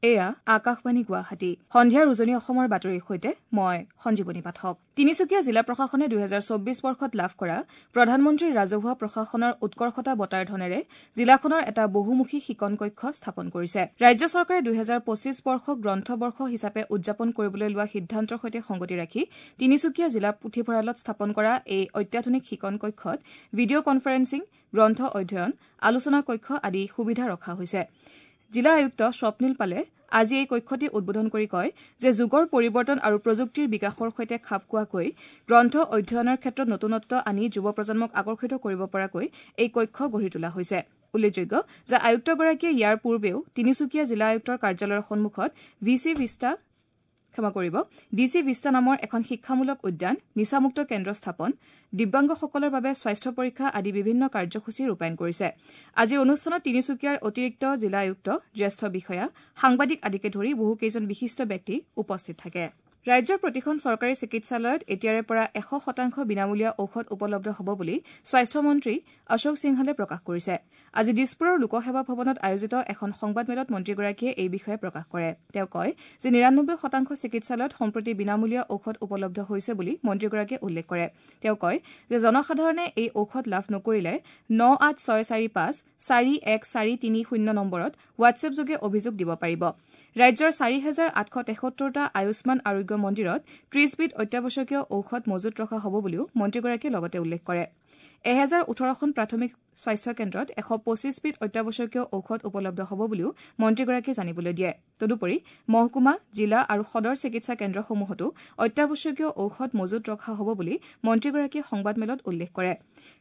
এয়া আকাশবাণী গুৱাহাটী। সন্ধিয়াৰ উজনি অসমৰ বাতৰিৰ সৈতে মই সঞ্জীৱনী পাঠক। তিনিচুকীয়া জিলা প্ৰশাসনে ২০২৪ বৰ্ষত লাভ কৰা প্ৰধানমন্ত্ৰীৰ ৰাজহুৱা প্ৰশাসনৰ উৎকৰ্ষতা বঁটাৰ ধনেৰে জিলাখনৰ এটা বহুমুখী শিকন কক্ষ স্থাপন কৰিছে। ৰাজ্য চৰকাৰে ২০২৫ বৰ্ষক গ্ৰন্থবৰ্ষ হিচাপে উদযাপন কৰিবলৈ লোৱা সিদ্ধান্তৰ সৈতে সংগতি ৰাখি তিনিচুকীয়া জিলা পুথিভঁৰালত স্থাপন কৰা এই অত্যাধুনিক শিকন কক্ষত ভিডিঅ কনফাৰেন্সিং, গ্ৰন্থ অধ্যয়ন, আলোচনা কক্ষ আদি সুবিধা ৰখা হৈছে। জিলা আয়ুক্ত স্বপ্নীল পালে আজি এই কক্ষটি উদ্বোধন কৰি কয় যে যুগৰ পৰিৱৰ্তন আৰু প্ৰযুক্তিৰ বিকাশৰ সৈতে খাপ খোৱাকৈ গ্ৰন্থ অধ্যয়নৰ ক্ষেত্ৰত নতুনত্ব আনি যুৱ প্ৰজন্মক আকৰ্ষিত কৰিব পৰাকৈ এই কক্ষ গঢ়ি তোলা হৈছে। উল্লেখযোগ্য যে আয়ুক্তগৰাকীয়ে ইয়াৰ পূৰ্বেও তিনিচুকীয়া জিলা আয়ুক্তৰ কাৰ্যালয়ৰ সন্মুখত ডি চি ভিষ্টা নামৰ এখন শিক্ষামূলক উদ্যান, নিচামুক্ত কেন্দ্ৰ স্থাপন, দিব্যাংগসকলৰ বাবে স্বাস্থ্য পৰীক্ষা আদি বিভিন্ন কাৰ্যসূচী ৰূপায়ণ কৰিছে। আজিৰ অনুষ্ঠানত তিনিচুকীয়াৰ অতিৰিক্ত জিলা আয়ুক্ত, জ্যেষ্ঠ বিষয়া, সাংবাদিক আদিকে ধৰি বহুকেইজন বিশিষ্ট ব্যক্তি উপস্থিত থাকে। ৰাজ্যৰ প্ৰতিখন চৰকাৰী চিকিৎসালয়ত এতিয়াৰে পৰা ১০০% বিনামূলীয়া ঔষধ উপলব্ধ হ'ব বুলি স্বাস্থ্যমন্ত্ৰী অশোক সিংহালে প্ৰকাশ কৰিছে। আজি দিছপুৰৰ লোকসেৱা ভৱনত আয়োজিত এখন সংবাদমেলত মন্ত্ৰীগৰাকীয়ে এই বিষয়ে প্ৰকাশ কৰে। তেওঁ কয় যে ৯৯% চিকিৎসালয়ত সম্প্ৰতি বিনামূলীয়া ঔষধ উপলব্ধ হৈছে বুলি মন্ত্ৰীগৰাকীয়ে উল্লেখ কৰে। তেওঁ কয় যে জনসাধাৰণে এই ঔষধ লাভ নকৰিলে ৯৮৬৪৫ ৪১৪৩০ নম্বৰত হোৱাটছএপযোগে অভিযোগ দিব পাৰিব। ৰাজ্যৰ ৪৮৭৩টা আয়ুষ্মান আৰোগ্য মন্দিৰত ৩০বিধ অত্যাৱশ্যকীয় ঔষধ মজুত ৰখা হ'ব বুলিও মন্ত্ৰীগৰাকীয়ে লগতে উল্লেখ কৰে। ১০১৮খন প্ৰাথমিক স্বাস্থ্য কেন্দ্ৰত ১২৫বিধ অত্যাৱশ্যকীয় ঔষধ উপলব্ধ হ'ব বুলিও মন্ত্ৰীগৰাকীয়ে জানিবলৈ দিয়ে। তদুপৰি মহকুমা, জিলা আৰু সদৰ চিকিৎসা কেন্দ্ৰসমূহতো অত্যাৱশ্যকীয় ঔষধ মজুত ৰখা হ'ব বুলি মন্ত্ৰীগৰাকীয়ে সংবাদমেলত উল্লেখ কৰে।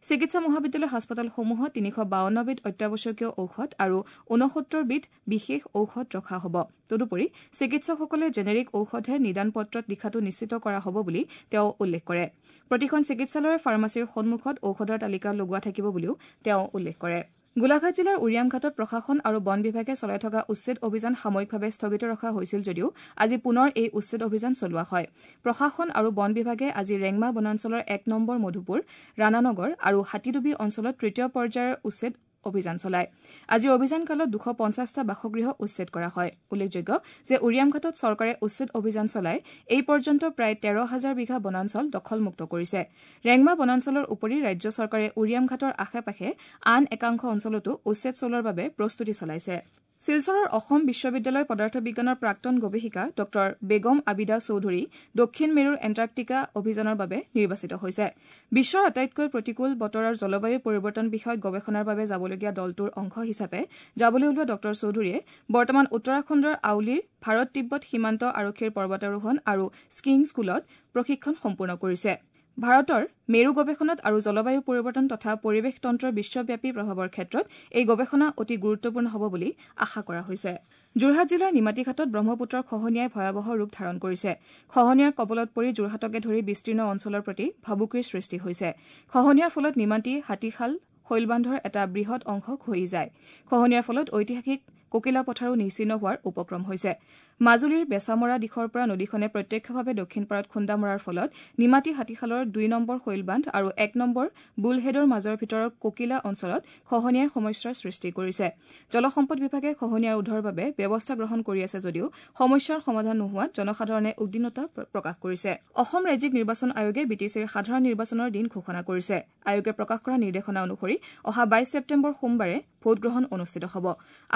চিকিৎসা মহাবিদ্যালয় হাস্পতালসমূহত ৩৫২বিধ অত্যাৱশ্যকীয় ঔষধ আৰু ৬৯বিধ বিশেষ ঔষধ ৰখা হ'ব। তদুপৰি চিকিৎসকসকলে জেনেৰিক ঔষধহে নিদান পত্ৰত লিখাটো নিশ্চিত কৰা হ'ব বুলি তেওঁ উল্লেখ কৰে। প্ৰতিখন চিকিৎসালয়ৰ ফাৰ্মাচীৰ সন্মুখত ঔষধৰ তালিকা লগোৱা থাকিব বুলিও তেওঁ উল্লেখ কৰে। গোলাঘাট জিলাৰ উৰিয়ামঘাটত প্ৰশাসন আৰু বন বিভাগে চলাই থকা উচ্ছেদ অভিযান সাময়িকভাৱে স্থগিত ৰখা হৈছিল যদিও আজি পুনৰ এই উচ্ছেদ অভিযান চলোৱা হয়। প্ৰশাসন আৰু বন বিভাগে আজি ৰেংমা বনাঞ্চলৰ ১ নম্বৰ মধুপুৰ, ৰাণানগৰ আৰু হাতীডুবি অঞ্চলত তৃতীয় পৰ্যায়ৰ উচ্ছেদ অভিযান চলায়। আজিৰ অভিযানকালত ২৫০টা বাসগৃহ উচ্ছেদ কৰা হয়। উল্লেখযোগ্য যে উৰিয়ামঘাটত চৰকাৰে উচ্ছেদ অভিযান চলাই এই পৰ্যন্ত প্ৰায় ১৩ হাজাৰ বিঘা বনাঞ্চল দখলমুক্ত কৰিছে। ৰেংমা বনাঞ্চলৰ উপৰি ৰাজ্য চৰকাৰে উৰিয়ামঘাটৰ আশে পাশে আন একাংশ অঞ্চলতো উচ্ছেদ চলোৱাৰ বাবে প্ৰস্তুতি চলাইছে। শিলচৰৰ অসম বিশ্ববিদ্যালয় পদাৰ্থ বিজ্ঞানৰ প্ৰাক্তন গৱেষিকা ডঃ বেগম আবিদা চৌধুৰী দক্ষিণ মেৰুৰ এণ্টাৰ্কটিকা অভিযানৰ বাবে নিৰ্বাচিত হৈছে। বিশ্বৰ আটাইতকৈ প্ৰতিকূল বতৰৰ জলবায়ু পৰিৱৰ্তন বিষয়ক গৱেষণাৰ বাবে যাবলগীয়া দলটোৰ অংশ হিচাপে যাবলৈ ওলোৱা ডঃ চৌধুৰীয়ে বৰ্তমান উত্তৰাখণ্ডৰ আউলীৰ ভাৰত তিব্বত সীমান্ত আৰক্ষীৰ পৰ্বতাৰোহণ আৰু স্কিয়িং স্কুলত প্ৰশিক্ষণ সম্পূৰ্ণ কৰিছে। ভাৰতৰ মেৰু গৱেষণাত আৰু জলবায়ু পৰিৱৰ্তন তথা পৰিৱেশ তন্ত্ৰৰ বিশ্বব্যাপী প্ৰভাৱৰ ক্ষেত্ৰত এই গৱেষণা অতি গুৰুত্বপূৰ্ণ হ'ব বুলি আশা কৰা হৈছে। যোৰহাট জিলাৰ নিমাতীঘাটত ব্ৰহ্মপুত্ৰৰ খহনীয়াই ভয়াৱহ ৰূপ ধাৰণ কৰিছে। খহনীয়াৰ কবলত পৰি যোৰহাটকে ধৰি বিস্তীৰ্ণ অঞ্চলৰ প্ৰতি ভাবুকিৰ সৃষ্টি হৈছে। খহনীয়াৰ ফলত নিমাতী হাতীশাল শৈলবান্ধৰ এটা বৃহৎ অংশ খহি যায়। খহনীয়াৰ ফলত ঐতিহাসিক কোকিলা পথাৰো নিশ্চিহ্ন হোৱাৰ উপক্ৰম হৈছে। মাজুলীৰ বেচামৰা দিশৰ পৰা নদীখনে প্ৰত্যক্ষভাৱে দক্ষিণ পাৰত খুন্দা মৰাৰ ফলত নিমাতী হাতীশালৰ ২ নম্বৰ শৈলবান্ধ আৰু ১ নম্বৰ বুলহেডৰ মাজৰ ভিতৰৰ কোকিলা অঞ্চলত খহনীয়াই সমস্যাৰ সৃষ্টি কৰিছে। জলসম্পদ বিভাগে খহনীয়া ৰোধৰ বাবে ব্যৱস্থা গ্ৰহণ কৰি আছে যদিও সমস্যাৰ সমাধান নোহোৱাত জনসাধাৰণে উদ্বিগ্নতা প্ৰকাশ কৰিছে। অসম ৰাজ্যিক নিৰ্বাচন আয়োগে বি টি চিৰ সাধাৰণ নিৰ্বাচনৰ দিন ঘোষণা কৰিছে। আয়োগে প্ৰকাশ কৰা নিৰ্দেশনা অনুসৰি অহা ২২ ছেপ্টেম্বৰ সোমবাৰে ভোটগ্ৰহণ অনুষ্ঠিত হ'ব।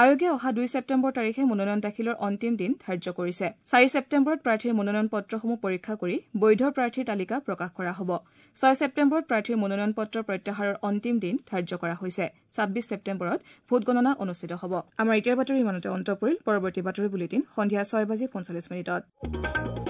আয়োগে অহা ২ ছেপ্টেম্বৰ তাৰিখে মনোনয়ন দাখিলৰ অন্তিম দিন ধাৰ্য কৰিছে। ৪ ছেপ্টেম্বৰত প্ৰাৰ্থীৰ মনোনয়ন পত্ৰসমূহ পৰীক্ষা কৰি বৈধ প্ৰাৰ্থীৰ তালিকা প্ৰকাশ কৰা হ'ব। ৬ ছেপ্টেম্বৰত প্ৰাৰ্থীৰ মনোনয়ন পত্ৰ প্ৰত্যাহাৰৰ অন্তিম দিন ধাৰ্য কৰা হৈছে। ২৬ ছেপ্টেম্বৰত ভোটগণনা অনুষ্ঠিত হ'ব। আমাৰ এতিয়াৰ বাতৰি ইমানতে অন্ত পৰিল। পৰৱৰ্তী বাতৰি বুলেটিন সন্ধিয়া ৬:৪৫।